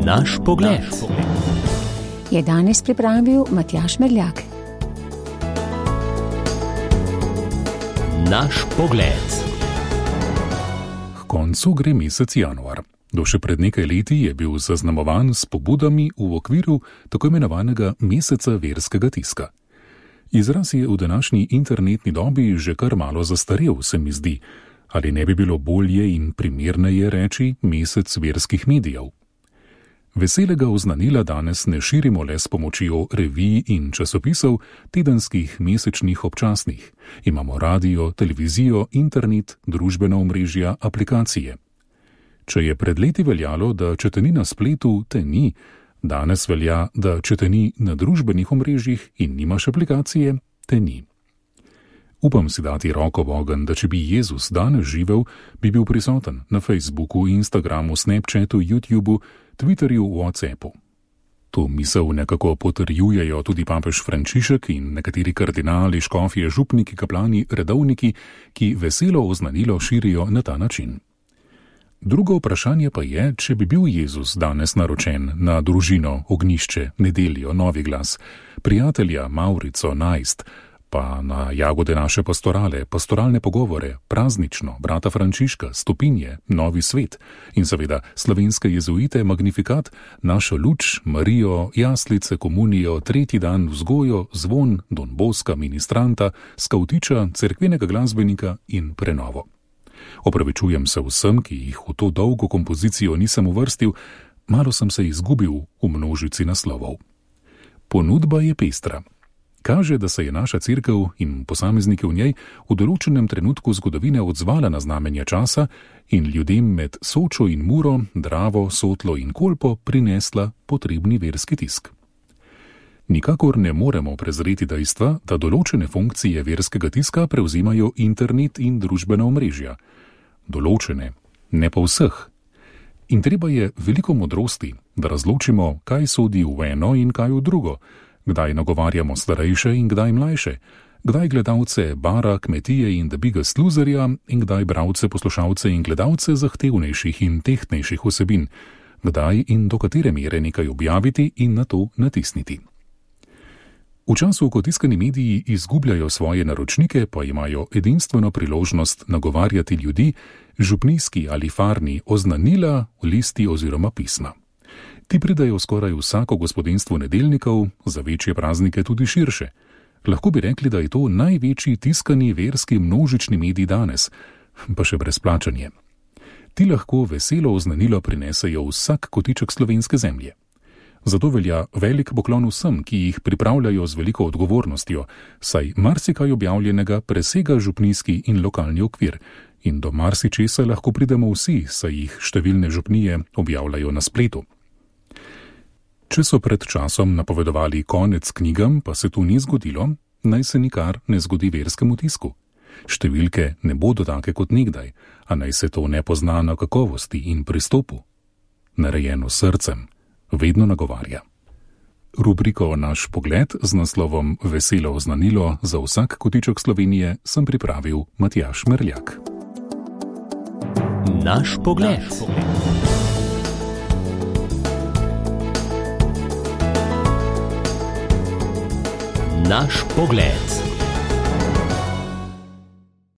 Naš pogled. Je danes pripravil Matjaž Merljak. Naš pogled. K koncu gre mesec januar. Do še pred nekaj leti je bil zaznamovan s pobudami v okviru tako imenovanega meseca verskega tiska. Izraz je v današnji internetni dobi že kar malo zastarel, se mi zdi. Ali ne bi bilo bolje in primerneje reči mesec verskih medijev? Veselega oznanila danes ne širimo le s pomočjo revij in časopisov, tedenskih, mesečnih, občasnih. Imamo radio, televizijo, internet, družbena omrežja, aplikacije. Če je pred leti veljalo, da če te ni na spletu, te ni, danes velja, da če te ni na družbenih omrežjih in nimaš aplikacije, te ni. Upam si dati roko v ogenj, da če bi Jezus danes živel, bi bil prisoten na Facebooku, Instagramu, Snapchatu, YouTubu, Twitterju, WhatsAppu. To misel nekako potrjujejo tudi papež Frančišek in nekateri kardinali, škofje, župniki, kaplani, redovniki, ki veselo oznanilo širijo na ta način. Drugo vprašanje pa je, če bi bil Jezus danes naročen na družino, ognjišče, nedeljo, Novi glas, prijatelja, Maurico, najst, pa na jagode naše pastorale, pastoralne pogovore, praznično, brata Frančiška, stopinje, Novi svet in seveda slovenske jezuite, magnifikat, našo luč, Marijo, jaslice, komunijo, tretji dan, vzgojo, zvon, Don Boska, ministranta, skavtiča, cerkvenega glasbenika in prenovo. Opravičujem se vsem, ki jih v to dolgo kompozicijo nisem uvrstil, malo sem se izgubil v množici naslovov. Ponudba je pestra. Kaže, da se je naša cerkev in posamezniki v njej v določenem trenutku zgodovine odzvala na znamenja časa in ljudem med Sočo in Muro, Dravo, Sotlo in Kolpo prinesla potrebni verski tisk. Nikakor ne moremo prezreti dejstva, da določene funkcije verskega tiska prevzimajo internet in družbena omrežja. Določene, ne pa vseh. In treba je veliko modrosti, da razločimo, kaj sodi v eno in kaj v drugo, kdaj nagovarjamo starejše in kdaj mlajše, kdaj gledalce bara, kmetije in The Biggest Loserja in kdaj bralce, poslušalce in gledalce zahtevnejših in tehtnejših vsebin, kdaj in do katere mere nekaj objaviti in na to natisniti. V času, ko tiskani mediji izgubljajo svoje naročnike, pa imajo edinstveno priložnost nagovarjati ljudi, župnijski ali farni oznanila, listi oziroma pisma. Ti pridajo skoraj vsako gospodinstvo nedeljnikov, za večje praznike tudi širše. Lahko bi rekli, da je to največji tiskani verski množični medij danes, pa še brez plačanja. Ti lahko veselo oznanilo prinesejo vsak kotiček slovenske zemlje. Zato velja velik poklon vsem, ki jih pripravljajo z veliko odgovornostjo, saj marsikaj objavljenega presega župnijski in lokalni okvir in do marsičesa lahko pridemo vsi, saj jih številne župnije objavljajo na spletu. Če so pred časom napovedovali konec knjigam, pa se to ni zgodilo, naj se nikar ne zgodi verskemu tisku. Številke ne bodo take kot nekdaj, a naj se to ne pozna na kakovosti in pristopu. Narejeno srcem vedno nagovarja. Rubriko Naš pogled z naslovom Veselo oznanilo za vsak kotiček Slovenije sem pripravil Matjaž Merljak. Naš pogled. Naš pogled.